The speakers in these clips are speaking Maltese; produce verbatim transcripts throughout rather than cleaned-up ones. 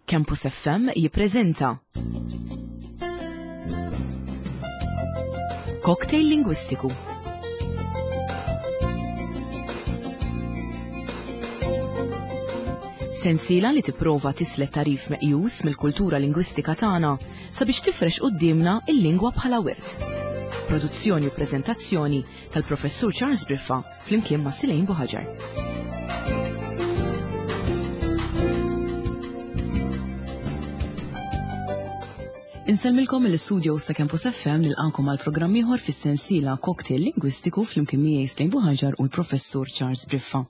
Campus F M jippreżenta Cocktail Lingwistiku. Sensiela li tipprova tislet tarif meqjus mill-kultura lingwistika tagħna sabiex tifrex quddiemna il-lingwa bħala wirt. Produzzjoni u preżentazzjoni tal-Professur Charles Briffa flimkien ma' Silejn Buħaġar. Insellmilkom mill-istudio ta' Campus F M nilqakom għal programm ieħor fis-sensiela Cocktail Lingwistiku flimkien miegħi Silejn Buħaġar u l-Professur Charles Briffa.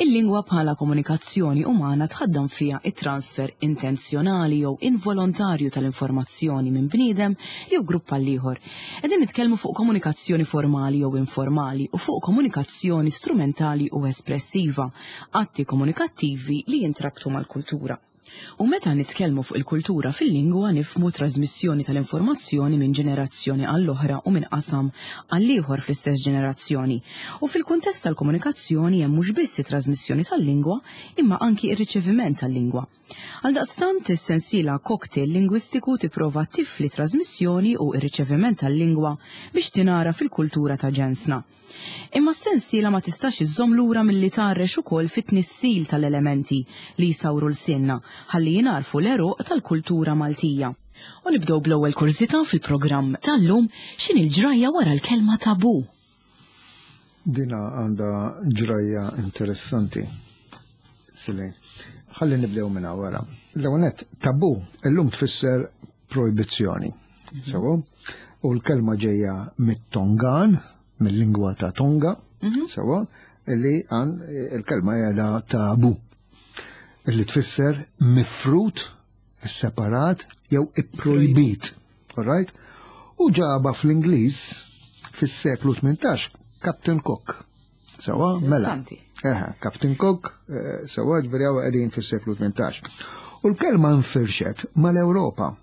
Il-lingwa bħala komunikazzjoni umana tħaddam fiha it-transfer intenzjonali jew involontarju tal-informazzjoni minn bniedem jew grupp għal ieħor. Qegħdin nitkellmu fuq komunikazzjoni formali jew informali u fuq komunikazzjoni strumentali u espressiva, atti komunikattivi li jintrabtu mal-kultura. U meta nitkellmu fuq il-kultura fil-lingwa nifhmu trasmissjoni tal-informazzjoni minn ġenerazzjoni għall-oħra u minn qasam għall-ieħor fl-istess ġenerazzjoni. U fil-kuntest tal-komunikazzjoni hemm mhux biss it-trasmissjoni tal-lingwa imma anki ir-riċeviment tal-lingwa. Għaldaqstant is-sensiela Cocktail Lingwistiku tipprova tifli trasmissjoni u ir-riċeviment tal-lingwa biex tingħara fil-kultura ta' ġensna. Imma s-sensiela ma tistax iżżomm lura milli tgħarrex ukoll fit-tnissil tal-elementi li jsawru l-sinna ħalli jingħarfu l-għeruq tal-kultura Maltija. U nibdew bl-ewwel kurżità fil-programm tal-lum, x'inhi l-ġrajja wara l-kelma tabu? Dina għandha ġrajja interessanti. Silej, ħalli nibdew minn wara. L-ewwel nett, tabu illum tfisser projbizzjoni. Sewa? U l-kelma ġejja mit-Tongan, mill-lingwa ta' Tonga, Mhm. sewa, li għan il-kelma qiegħda tabu, li tfisser mifrut, separat jew ipprojbit. All right? U ġaba fl-Ingliż fis-seklu tmintax Captain Cook. Sewa, mela. Interessanti. Eħe, Captain Cook, eh, sewa, ġifieri hawn qegħdin fis-seklu tmintax. U l-kelma nfirxet mal-Ewropa.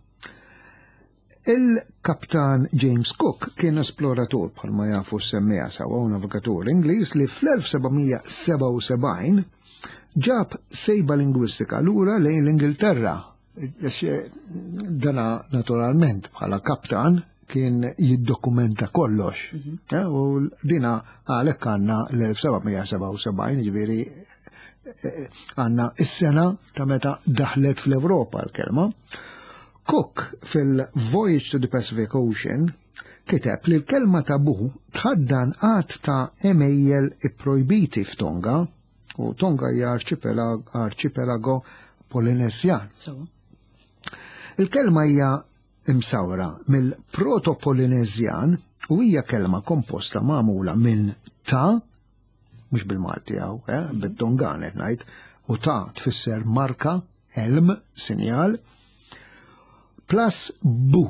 Il-kaptan James Cook kien esploratur bħalma jafu s-semmija sewa u navigatur Ingliż li fl-elf seba' seba' u sebgħin ġab sejba lingwistika lura lejn l-Ingilterra. Għax, eh, dana naturalment bħala kaptan kien jiddokumenta kollox. Mhm. Eh, u dina għalhekk għandna l-elf seba' seba' u sebgħin, ġifieri, eh, għandna is-sena ta' meta daħlet fl-Ewropa l-kelma. Cook fil-Voyage to the Pacific Ocean kiteb li l-kelma tabu tħaddan għadd ta' għemejjel ipprojbiti f'Tonga, u Tonga hija arċipelag-, arċipelago Polinesjan. So. Il-kelma hija imsawra mill-Proto-Polinesjan u hija kelma komposta magħmula minn ta', mhux bil-Malti hawn, eh, bit-Tongan qed ngħid, u ta' tfisser marka, elm, sinjal, plus bu,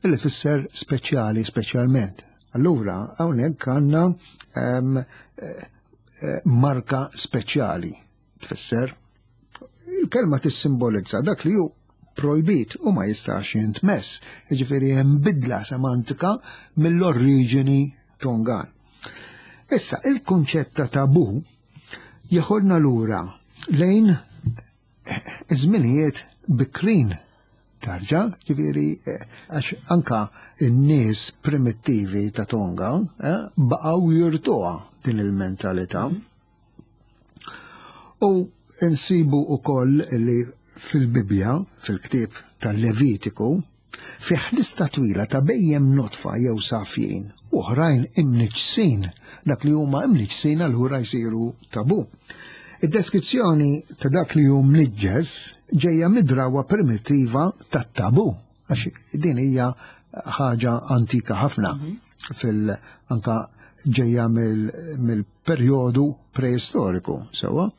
li tfisser speċjali, speċjalment. Allura, hawnhekk għandna, ehm, eh, eh, marka speċjali, tfisser. Il-kelma tissimbolizza dak li hu projbit u ma jistax jintmess, jiġifieri hemm bidla semantika mill-oriġini Tongan. Issa, il-kunċett ta' tabu jeħodna lura lejn żminijiet bikrin. Tarġa, ġifieri, eh, għax anka n-nies primittivi ta' Tonga, eh, baqgħu jirtuha din il-mentalità. U nsibu wkoll li fil-Bibbja, fil-ktieb tal-Levitiku, fih lista twila ta' bejjem notfa jew safjin, u oħrajn imniġsin, dak li huma imniġsin allura jsiru tabu. Id-deskrizzjoni ta' dak li hu mniġġes ġejja mid-drawa primittiva tat-tabu, għax din hija ħaġa antika ħafna, Mhm. fil-, anka ġejja mill-, mill-perjodu preistoriku, sewa.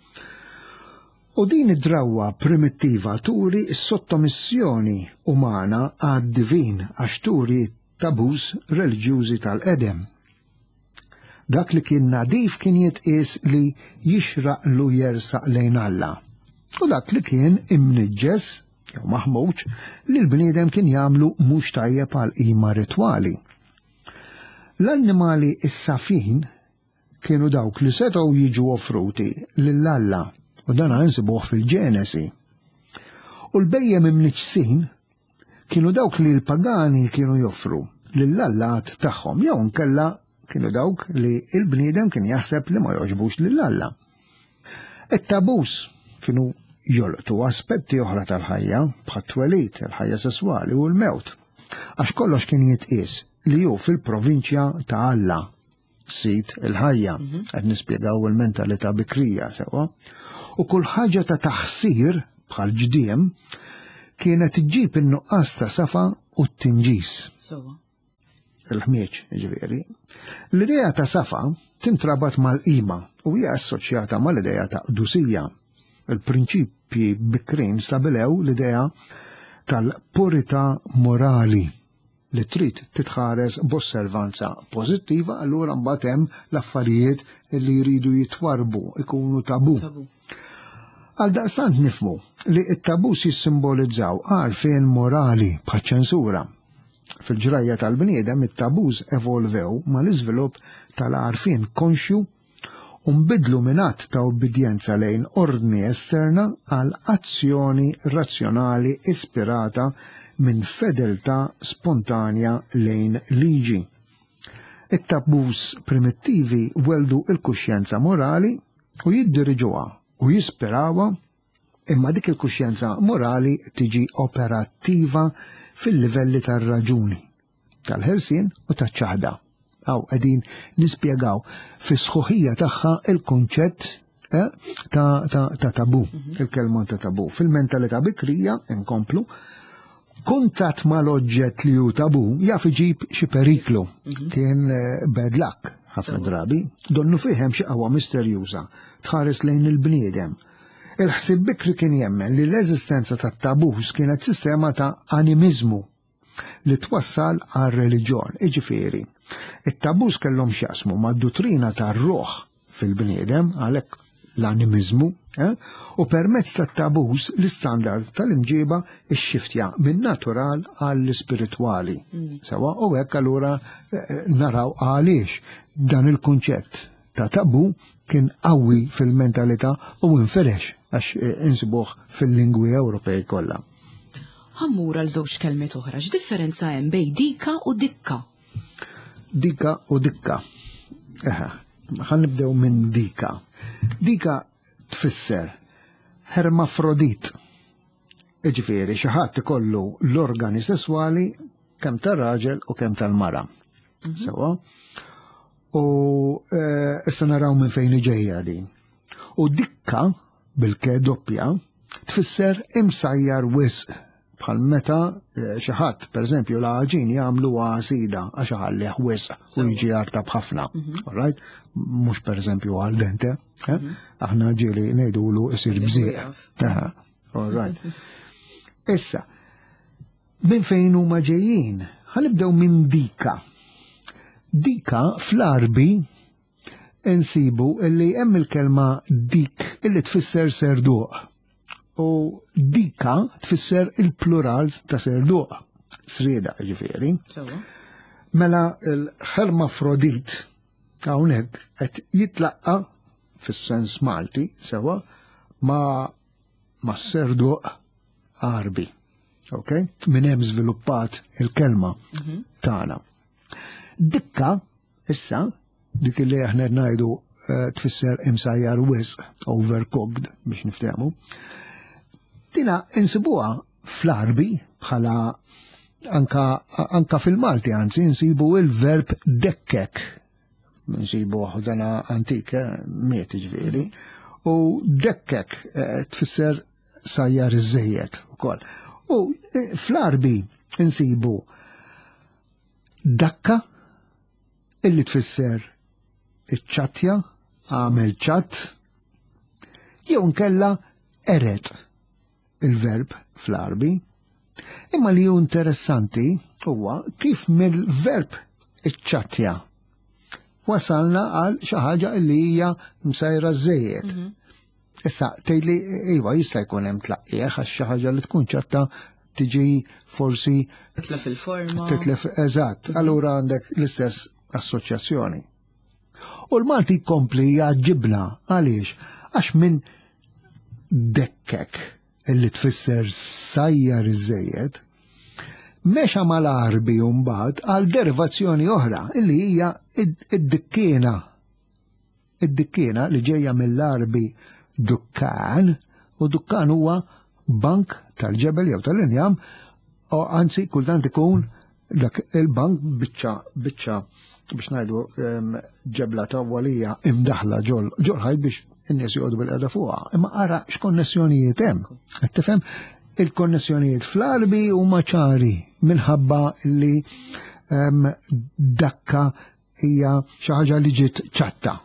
U din id-drawa primittiva turi s-sottomissjoni umana għad-divin għax turi tabus reliġjużi tal-qedem. Dak li kien nadif kien jitqies li jixraqlu jersaq lejn Alla. U dak li kien imniġġes jew maħmuġ li l-bniedem kien jagħmlu mhux tajjeb għal qima ritwali. L-annimali s-safin kienu dawk li setgħu jiġu offruti lil Alla, u dan nsibuh fil-Ġenesi. U l-bhejjem imniġġsin kienu dawk li l-pagani kienu joffru lill-allat tagħhom, jew nkella kienu dawk li l-bniedem kien jaħseb li ma joġbux lill-alla. It-tabus kienu jolqtu aspetti oħra tal-ħajja, bħat-twelid, il-ħajja sesswali u l-mewt, għax kollox kien jitqies li hu fil-provinċja ta' Alla, sid il-ħajja, qed nispjegaw il-mentalità bikrija sewwa. U kull ħaġa ta' taħsir bħal ġdiem kienet iġġib in-nuqqas ta' safa u t-tinġis. Il-ħmieġ, ġifieri. L-idea ta' safa tintrabat mal-qima u hija assoċjata mal-idea ta' qdusija. Il-prinċipji bikrin stabilew l-idea tal-purità morali li trid titħares b'osservanza pożittiva, allura mbagħad hemm l-affarijiet li jridu jitwarbu, ikunu tabu. Tabu. Għal daqstant nifmu li t-tabus jissimbolizzaw għarfien morali bħaċ-ċensura. Fil-ġrajja tal-bniedem it-tabus evolvew mal-iżvilupp tal-għarfien konxju u nbidlu minn att ta' obbedjenza lejn ordni esterna għal azzjoni razzjonali ispirata minn fedeltà spontanja lejn liġi. It-tabus primittivi weldu il-kuxjenza morali u jiddiriġuha u jispirawha, imma dik il-kuxjenza morali tiġi operattiva fil-livelli tar-raġuni, tal-ħelsien u taċ-ċaħda. Aw qegħdin nispjegaw fis-sħuħija tagħha il-kunċett eh, ta', ta, ta tabu, il-kelma ta' tabu. Fil-mentalità bikrija, inkomplu, kuntatt mal-oġġett li hu tabu jaf iġib xi periklu. Kien eh, bad luck ħafna drabi, donnu fihem xi qawwa misterjuża tħares lejn il-bniedem. Il-ħsieb bikri kien jemmen li l-eżistenza tat-tabus kienet sistema ta' animizmu li twassal għal reliġjon, iġifieri. It-tabus kellhom x'jaqsmu mad-duttrina tar-ruħ fil-bniedem, għalhekk l-animizmu, eh? U permezz tat-tabus l-istandard tal-imġiba ixxiftja minn natural għall-ispiritwali. Sewa, u hekk allura eh, naraw għaliex dan il-kunċett ta' tabu kien qawwi fil-mentalità u inferex għax eh, insibuh fil-lingwi Ewropej kollha. Ħammur għal żewġ kelmiet oħra, x'differenza hemm bejn dika u dikka? Dika u dikka. Eħe, ħa nibdew minn dika. Dika tfisser hermafrodit. Iġifieri xi ħadd ikollu l-organi sesswali kemm tar-raġel u kemm tal-mara. Sewa? U eh, issa naraw minn fejn ġejja din. U dikka bil-ke doppja tfisser imsajjar wisq, bħal meta eh, xi ħadd, pereżempju, l-għaġin jagħmlu għasida għax iħallih wisq u jiġi artab ħafna. All right? Mhux pereżempju al dente, eh? Aħna ġieli ngħidulu isir bżieq. Aha, all right. Issa, minn fejn huma ġejjin? Ħa nibdew minn dika. Dika fl-Arbi insibu illi hemm il-kelma dik illi tfisser serduq. U dika tfisser il-plural ta' serduq. Srieda ġifieri. Mela il-hermafrodit hawnhekk qed jitlaqqa fis-sens Malti sewa ma ma serduq Arbi. Ok? Minn hemm żviluppat il-kelma tagħna. Dikka, issa, dik li aħna ngħidu eh, tfisser imsajjar wisq, overcooked biex niftehmu. Dina insibuha fl-Arbi bħala anka, anka fil-Malti, anzi insibu il-verb dekkek. Insibu dana antik, eh, miet ġifieri. U dekkek eh, tfisser sajjar iż-żejjed ukoll. U eh, fl-Arbi insibu dakka illi tfisser iċ-ċattja, għamel ċatt, jew nkella eret il-verb fl-Arbi. Imma li hu interessanti huwa kif mill-verb iċ-ċattja wasalna għal xi ħaġa li hija msajra żejjed. Issa tgħidli iva jista' jkun hemm tlaqqieħ għax xi ħaġa li tkun ċatta tiġi forsi Titlef il-forma. Titlef, eżatt. Allura għandek l-istess assoċjazzjoni. U l-Malti jkompli jgħaġġibna għaliex? Għax minn dekkek, illi tfisser sajjar iż-żejjed, mexa mal-Għarbi mbagħad għal derivazzjoni oħra illi hija id-dikkiena. Id-dikkiena li ġejja mill-Għarbi dukkan, u dukkan huwa bank tal-ġebel jew tal-injam, u anzi kultant ikun dak il-bank biċċa biċċa biex ngħidu ġebla tawwalija imdaħla ġol ġol ħajt biex in-nies joqogħdu bil-qeda fuqha. Imma ara x'konnessjonijiet hemm. Qed tifhem, il-konnessjonijiet fl-Għarbi huma ċari minħabba li dakka hija xi ħaġa li ġiet ċatta.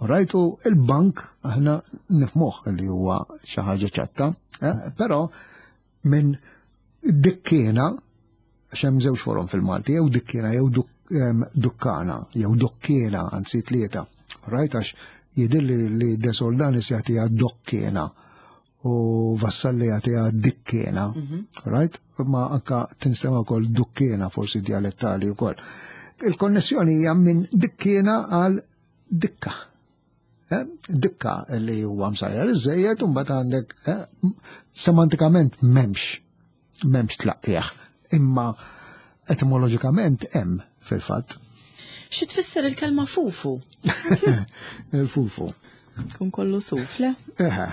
Right, u il-bank aħna nifhmuh li huwa xi ħaġa ċatta, eh, però minn dikkiena, għax hemm żewġ forom fil-Malti, jew dikkiena jew dukkana, jew dokkiena, anzi tlieta. Right, għax jidhirli li De Soldanis jagħtiha dokkiena u Vassalli jagħtiha dikkiena. Right? Ma anka tinstema' wkoll dukkiena, forsi dialettali wkoll. Il-konnessjoni hija minn dikkiena għal dikka. Eh? Dikka li huwa msajjar iż-żejjed, u mbagħad għandek eh, semantikament m'hemmx m'hemmx tlaqqieħ, imma etimoloġikament hemm fil-fatt. Xi tfisser il-kelma fufu? Il-fufu. Kun kollu suf, le? Eħe.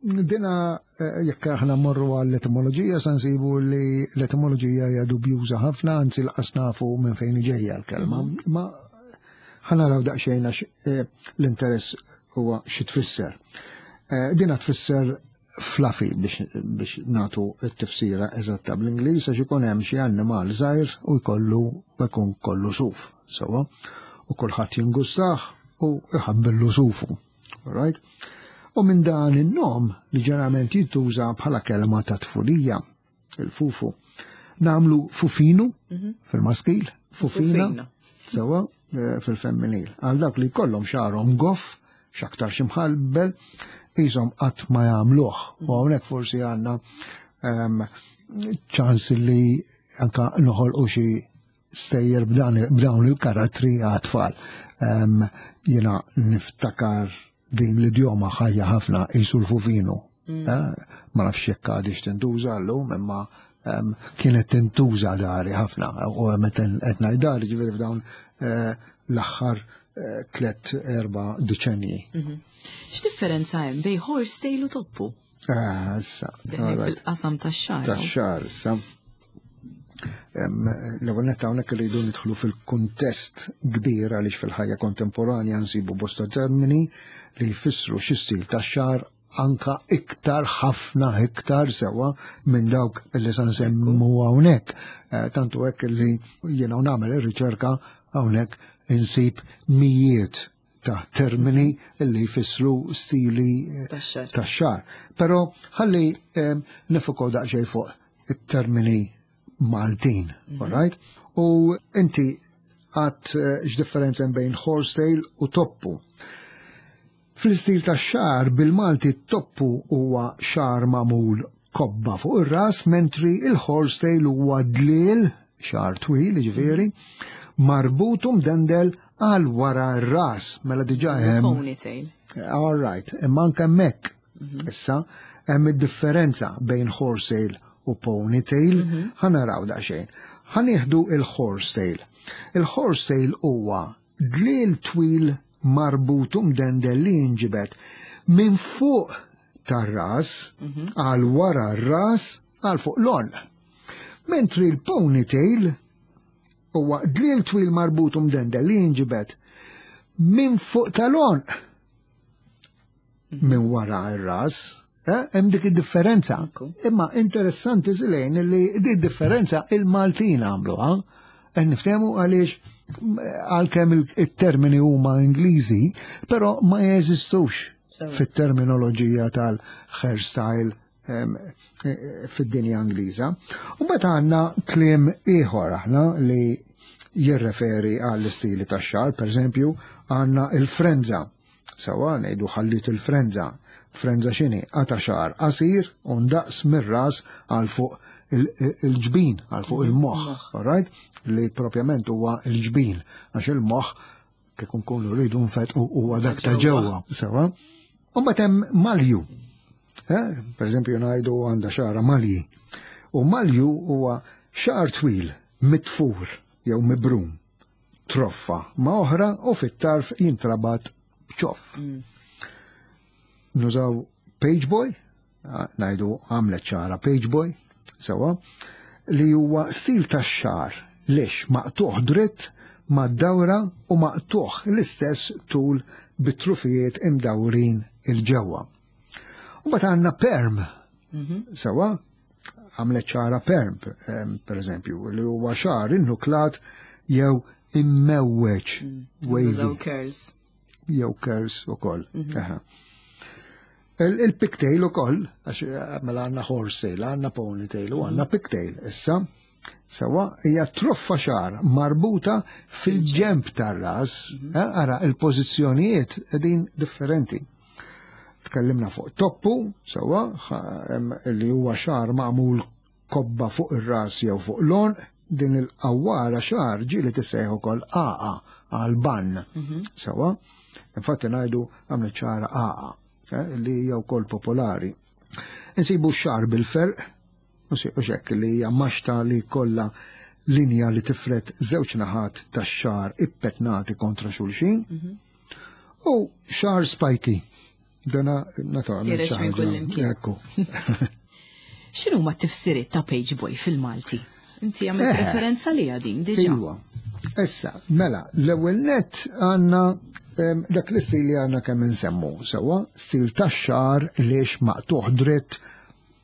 Dina eh, jekk aħna mmorru għall-etimoloġija sa nsibu li l-etimoloġija hija dubjuża ħafna, anzi lanqas nafu minn fejn ġejja l-kelma. Ma ħa naraw daqsxejn għax eh, l-interess huwa xi tfisser. Eh, Dina tfisser fluffy biex, biex nagħtu t-tifsira eżatta bl-Ingliż, għax ikun hemm xi annimal żgħir u jkollu u jkun kollu suf, sewwa, u kulħadd jingustah u jħabbillu sufu. Right? U minn dan in-nom li ġeneralment jintuża bħala kelma ta' tfulija, il-fufu, nagħmlu fufinu fil-maskil, fufina, Fufina. sewwa, eh, fil-femminil. Għal dak li kollhom xagħarhom goff, x'aktar ximħalbel, jisom qatt ma jagħmluh. U hawnhekk forsi għandna ehm, ċans li anka noħolqu xi stejjer b'dan b'dawn il-karattri għat-tfal. Ehm, Jiena niftakar din l-idjoma ħajja ħafna, "jisu l-fufinu". Eh, Ma nafx jekk għadix tintuża llum, imma ehm, kienet tintuża dari ħafna. U meta qed ngħid dari, ġifieri f'dawn eh, l-aħħar eh, tlet erba' deċenji. X'differenza hemm bejn horsetail u toppu? Ah, issa. Deħlin Alright. fil-qasam tax-xagħar. Tax-xagħar, issa. Em, L-ewwel netta hawnhekk irridu nidħlu fil-kuntest kbir għaliex fil-ħajja kontemporanja nsibu bosta termini li jfissru xi stil tax-xagħar anka iktar, ħafna iktar sewwa minn dawk li sa nsemmu hawnhekk. Eh, Tantu hekk li jiena u nagħmel ir-riċerka hawnhekk insib mijiet ta' termini li jfissru stili eh, Tax-xagħar. tax-xagħar. Però ħalli em, nifukaw daqsxejn fuq it-termini Maltin, all right? U inti għat eh, x'differenza hemm bejn horsetail u toppu. Fl-istil tax-xagħar bil-Malti, toppu huwa xagħar magħmul kobba fuq ir-ras, mentri il-horsetail huwa dlil, xagħar twil, ġifieri, marbut u mdendel għal wara r-ras. Mela diġà hemm Ponytail. All right, imma anke hemmhekk issa hemm id-differenza bejn horsetail u ponytail, ħa naraw daqsxejn. Ħa nieħdu il-horsetail. Il-horsetail huwa dlil twil marbut u mdendel li jinġibed minn fuq tar-ras għal wara r-ras għal fuq l-għonq. Mentri l-ponytail huwa dlil twil marbut u mdendel li jinġibed minn fuq tal-għonq minn wara r-ras, eh, hemm dik id-differenza. Ekku. Imma interessanti zilejn li di differenza il-Maltin għamluha, qed niftehmu, għaliex għalkemm il-termini huma Ingliżi, però ma jeżistux Sewa. fit-terminoloġija tal-hairstyle em, eh, fid-dinja Ingliża. U mbagħad għandna kliem ieħor aħna li jirreferi għall-istili tax-xagħar, per eżempju, għandna il-frenza. Sewwa, ngħidu "ħallit il-frenza". Frenza x'inhi? Qata xagħar qasir u ndaqs mir-ras għal fuq il- il-ġbin, għal fuq il-moħħ, all right? Li propjament huwa il-ġbin, għax il-moħħ kif nkunu rridu nfetqu huwa dak ta' ġewwa. Sewwa. U mbagħad hemm malju. Eh? Per eżempju, ngħidu għandha xagħarha malji. U malju huwa xagħar twil, mitfur jew mibrum, troffa ma' oħra u fit-tarf jintrabat b'ċoff. Mm. Nużaw pageboy, ngħidu għamlet xagħarha pageboy, sewwa, li huwa stil ta' xagħar lixx maqtuħ dritt mad-dawra u maqtuħ l-istess tul bit-trufijiet imdawrin 'il ġewwa. U mbagħad għandna perm, mhm. sewwa, għamlet xagħarha perm, per eżempju, li huwa xagħar innuklat jew immewweġ. Mm. Wavy. Curls. Jew curls ukoll. Mhm. Il-pigtail ukoll, għax mela għandna horsetail, għandna ponytail u għandna mhm. pigtail. Issa, sewwa, hija troffa xagħar marbuta fil-ġemp tar-ras, mhm. eh, ara il-pożizzjonijiet qegħdin differenti. Tkellimna fuq toppu, sewwa, li huwa xagħar magħmul kobba fuq ir-ras jew fuq l-għonq, din il-qawwara xagħar ġieli tissejjaħ ukoll għaqa għal bun. Mhm. Sewwa, infatti ngħidu għamlet xagħarha għaqa, eh, li hija wkoll popolari. Insibu xagħar bil-ferq, u xek li hija maxta li kollha linja li tifret żewġ naħat tax-xagħar ippetnati kontra xulxin. Mhm. U xagħar spiky. Dana naturalment xi Ekku. X'inhu ma tifsiriet ta' page boy fil-Malti? Inti għamilt eh. referenza li għadin diġà. Iwa. Issa, mela, l-ewwel net għandna dak l-istil li għandna kemm insemmu, sewwa, stil tax-xagħar lixx maqtuħ dritt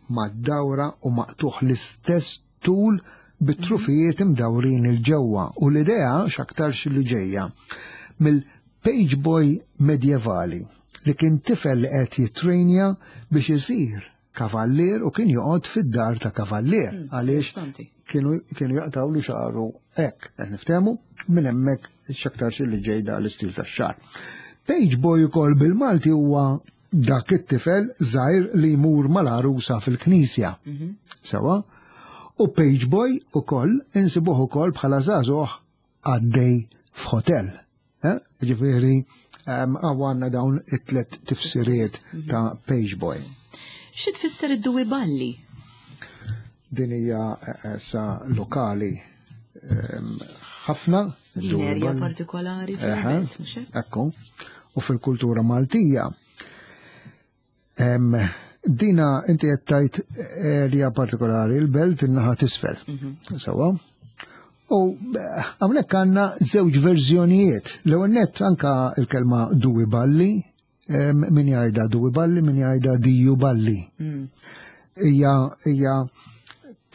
mad-dawra u maqtuħ l-istess tul bit-trufijiet imdawrin 'il ġewwa u l-idea x'aktarx li ġejja mill-page boy medjevali li kien tifel li qed jitrejnja biex isir kavallier u kien joqgħod fid-dar ta' kavallier hmm, għaliex kienu kienu jaqtawlu xagħru hekk, qed niftehmu minn hemmhekk x'aktarx li ġejda l-istil tax-xagħar. Page boy ukoll bil-Malti huwa dak it-tifel żgħir li jmur mal-għarusa fil-knisja. Mhm. Sewwa? U page boy ukoll insibuh ukoll bħala żagħżugħ għaddej f'hotel. Eh? Ġifieri għandna dawn it-tlet tifsiriet mhm. ta' page boy. Xi tfisser id-duwi balli? Din hija eh, sa lokali ħafna. Din erja partikolari fil-belt, mhux hekk? Ekku. U fil-kultura Maltija. Dina inti qed tgħid erja partikolari, il-belt in-naħa t'isfel. Mhm. Sewwa. U hawnhekk għandna żewġ verżjonijiet. L-ewwel nett anka il-kelma duwi balli, min jgħidha duwi balli, min jgħidha diju balli. Mm. Hija hija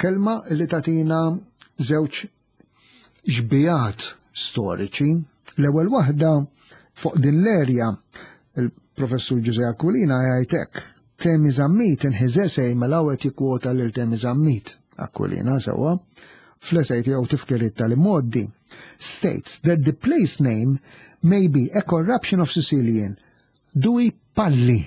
kelma li tatina żewġ xbihat storiċi. L-ewwel waħda fuq din l-erja il-professur Ġuże Aquilina jgħid hekk. Temi Zammit in his essay mela qed jikkwota lil Temi Zammit Aquilina sewwa fl-essay tiegħu Tifkiriet tal-Imgħoddi states that the place name may be a corruption of Sicilian dui palli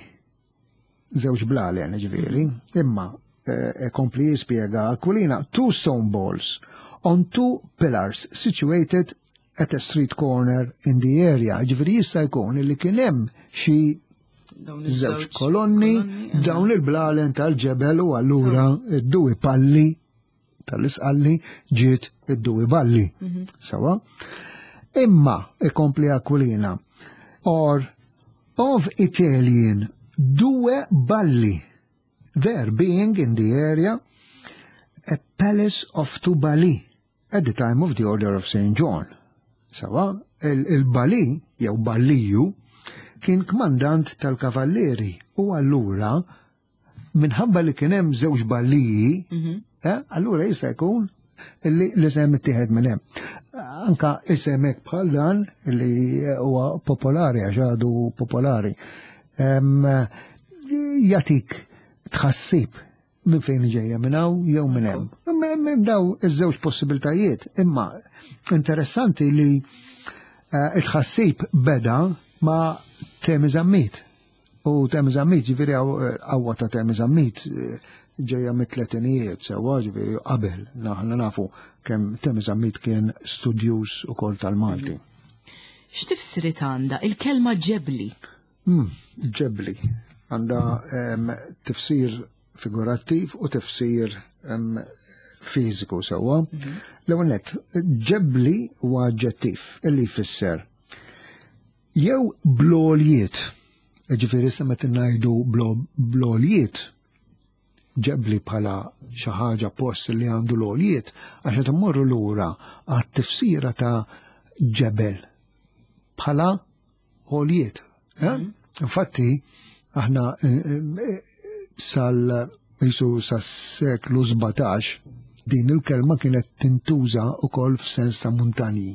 żewġ blalen ġifieri, imma eh, kompli jispjega Aquilina two stone balls on two pillars situated at a street corner in the area. Ġifieri jista' jkun li kien hemm xi żewġ kolonni dawn il-blalen tal-ġebel u allura id-duwi palli tal-isqalli ġiet id-duwi balli. Mhm. Sewwa? Imma ikompli Aquilina or of Italian due balli there being in the area a palace of two Bali at the time of the Order of Saint John. Sewwa, il-Bali, jew Balliju, kien kmandant tal-kavallieri u allura minħabba li kien hemm żewġ balliji, mhm. eh, allura jista' jkun li l-isem ittieħed minn hemm. Anka isem hekk bħal dan li huwa popolari għax għadu popolari. Jatik tħassib minn fejn ġejja minn hawn jew minn hemm. Minn daw iż-żewġ possibiltajiet, imma interessanti li eh, it-tħassib beda ma' Temi Zammit. U Temi Zammit, ġifieri qawwa ta' Temi Zammit eh, ġejja mit-tletinijiet, sewwa ġifieri qabel, naħna nafu kemm Temi Zammit kien studjuż ukoll tal-Malti. X'tifsiriet għandha il-kelma ġebli? Hmm, ġebli. Għandha tifsir figurattiv u tifsir fiżiku sewwa. L-ewwel nett, ġebli huwa aġġettiv illi jfisser jew bloljiet. Ġifieri issa meta ngħidu bloljiet, ġebli bħala xi ħaġa post li għandu l-għoljiet, għax qed immorru lura għat-tifsira ta' ġebel bħala għoljiet. Infatti, aħna sal jisu sas-seklu sbatax din il-kelma kienet tintuża wkoll f'sens ta' muntanji.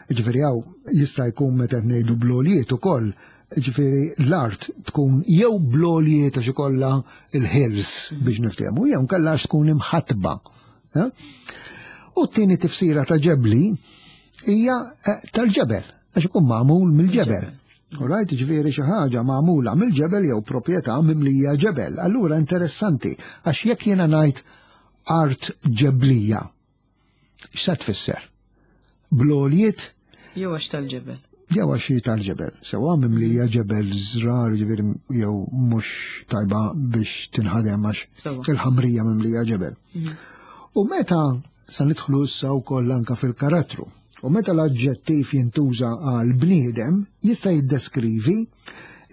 Ġifieri hawn jista' jkun meta ngħidu blolijiet ukoll, ġifieri l-art tkun jew blolijiet għax ikollha il-hills biex niftehmu, jew nkella għax tkun imħatba. U t-tieni tifsira ta' ġebli hija tal-ġebel, għax ikun magħmul mill-ġebel. Alright, ġifieri xi ħaġa magħmula mill-ġebel jew proprjetà mimlija ġebel. Allura interessanti, għax jekk jiena ngħid art ġeblija, x'sa tfisser? Blolijiet? Jew għax tal-ġebel. Jew għax tal-ġebel. Sewa mimlija ġebel żrar, ġifieri jew mhux tajba biex tinħadem għax il-ħamrija mimlija ġebel. U meta sa nidħlu issa wkoll anke fil-karattru, u meta l-aġġettiv jintuża għal bniedem, jista' jiddeskrivi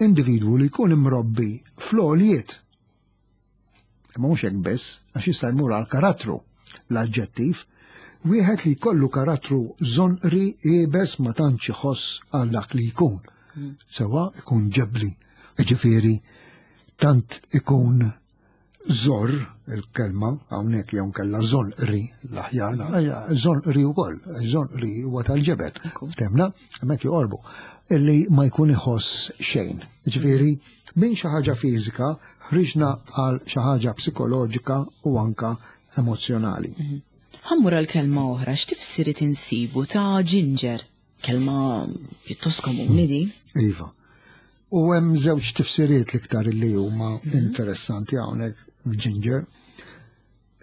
individwu li jkun imrobbi fl-għoljiet. Imma mhux hekk biss, għax jista' jmur għal karattru l-aġġettiv, wieħed li jkollu karattru żonqri iebes ma tantx iħoss għal dak li jkun. Sewa ikun ġebli, ġifieri tant ikun żor il-kelma hawnhekk jew nkella żonqri l-aħjar, żonqri wkoll, żonqri huwa tal-ġebel. Ftemna, hemmhekk joqorbu, illi ma jkun iħoss xejn. Ġifieri minn xi ħaġa fiżika ħriġna għal xi ħaġa psikoloġika u anka emozjonali. Ħammur għal kelma oħra, x'tifsiriet insibu ta' ginger? Kelma pjuttost komuni din. Iva. U hemm żewġ tifsiriet l-iktar li huma interessanti hawnhekk f'ginger.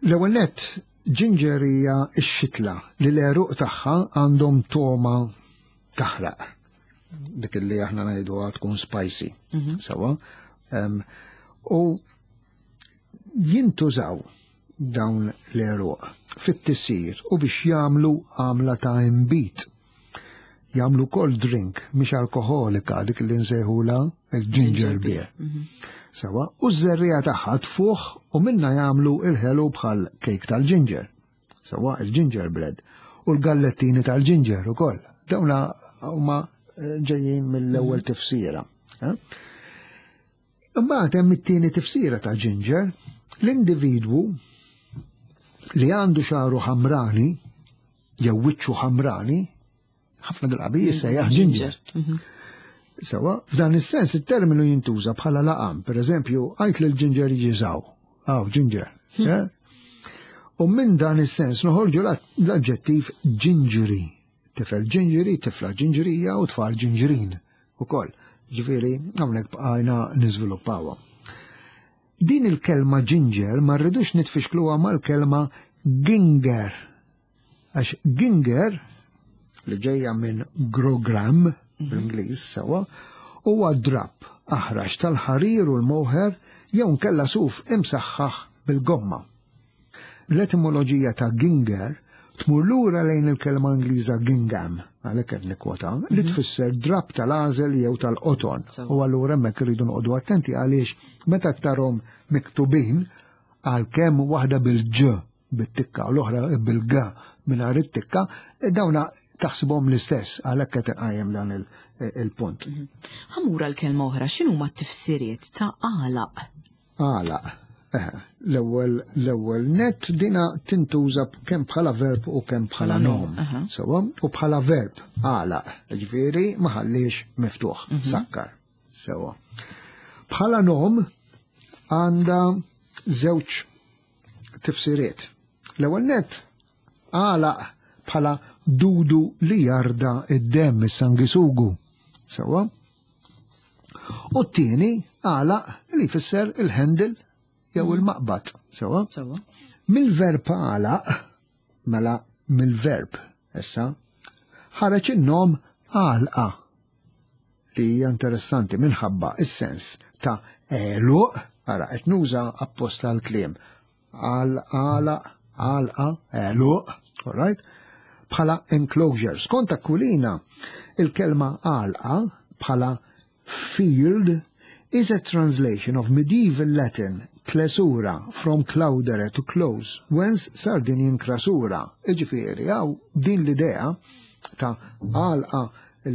L-ewwel nett, ginger hija x-xitla li l-għeruq tagħha għandhom toma taħraq. Dik li aħna ngħiduha tkun spicy. Sewa. U jintużaw dawn l-għeruq fit-tisir u biex jagħmlu għamla ta' imbit. Jagħmlu cold drink mhix alkoholika, dik li nsejħula il-ginger beer. Sewa, u ż-żerriegħa tagħha tfuħ u minna jagħmlu il-ħelu bħal kejk tal-ginger. Sewa, il-ginger bread u l-gallettini tal-ginger ukoll. Dawna huma ġejjin mill-ewwel tifsira. Imbagħad hemm it-tieni tifsira ta' ginger, l-individwu li għandu xagħru ħamrani jew wiċċu ħamrani, ħafna drabi jissejjaħ ginger. Sewa, f'dan is-sens it-terminu jintuża bħala laqam, per eżempju, għajt lil ginger jiġiżaw, aw ginger. U minn dan is-sens noħorġu l-aġġettiv gingery, tifel gingery, tifla gingerija u tfal gingerin ukoll. Ġifieri hawnhekk bqajna niżviluppawha. Din il-kelma ginger ma rridux nitfixkluha mal-kelma ginger. Għax ginger, li ġejja minn grogram bl-Ingliż sewa, huwa drapp aħrax tal-ħarir u l-moħer jew nkella suf imsaħħaħ bil-gomma. L-etimoloġija ta' ginger tmur lura lejn il-kelma Ingliża gingham, għalhekk qed nikkwota, li tfisser drapp tal-għażel jew tal-qoton. U allura hemmhekk irridu noqogħdu attenti għaliex meta tarhom miktubin għalkemm waħda bil-ġ bit-tikka u l-oħra bil-g mingħajr it-tikka, dawna taħsibhom l-istess, għalhekk qed inqajjem dan il-punt. Ħammur għal kelma oħra, x'inhuma t-tifsiriet ta' għalaq? Għalaq. L-ewwel l-ewwel net dina tintuża kemm bħala verb u kemm bħala nom. Sewa, u bħala verb għalaq, ġifieri ma ħallix miftuħ, sakkar. Sewa. Bħala nom għandha żewġ tifsiriet. L-ewwel net għalaq bħala dudu li jarda id-demm is-sangisugu. Sewa. U t-tieni għalaq li jfisser il-handle jew il-maqbad. Sewa? Sewa. Mill-verb għalaq, mela mill-verb issa, ħareġ in-nom għalqa li hija interessanti minħabba is-sens ta' għeluq, ara qed nuża apposta l-kliem, għal għala, għalqa, għeluq, all right? Bħala enclosure. Skont Aquilina, il-kelma għalqa bħala field is a translation of medieval Latin clausura, from claudere to close, whence Sardinian crasura. Iġifieri, hawn din l-idea ta' għalqa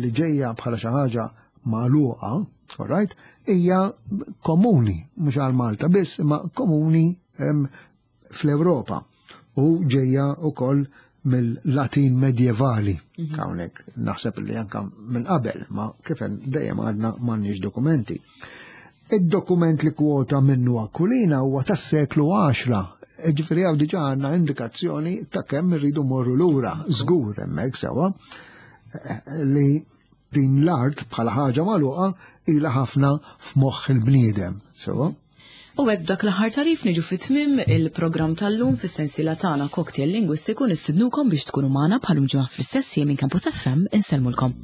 li ġejja bħala xi ħaġa magħluqa, all right, hija komuni, mhux għal Malta biss, imma komuni em, fl-Ewropa u ġejja wkoll mill-Latin medjevali. Hawnhekk naħseb li anka minn qabel, ma kif hemm dejjem għadna m'għandniex dokumenti. Id-dokument li kwota minnu Aquilina huwa tas-seklu għaxra. Ġifieri hawn diġà għandna indikazzjoni ta' kemm irridu morru lura, żgur hemmhekk sewwa, li din l-art bħala ħaġa magħluqa ilha ħafna f'moħħ il-bniedem, sewwa. U hekk dak l-aħħar tagħrif niġu fi tmiem il-programm tal-lum fis-sensiela tagħna Cocktail Lingwistiku. Nistidnukom biex tkunu magħna bħal ġimgħa fl-istess jiem minn Campus F M. Insellmulkom.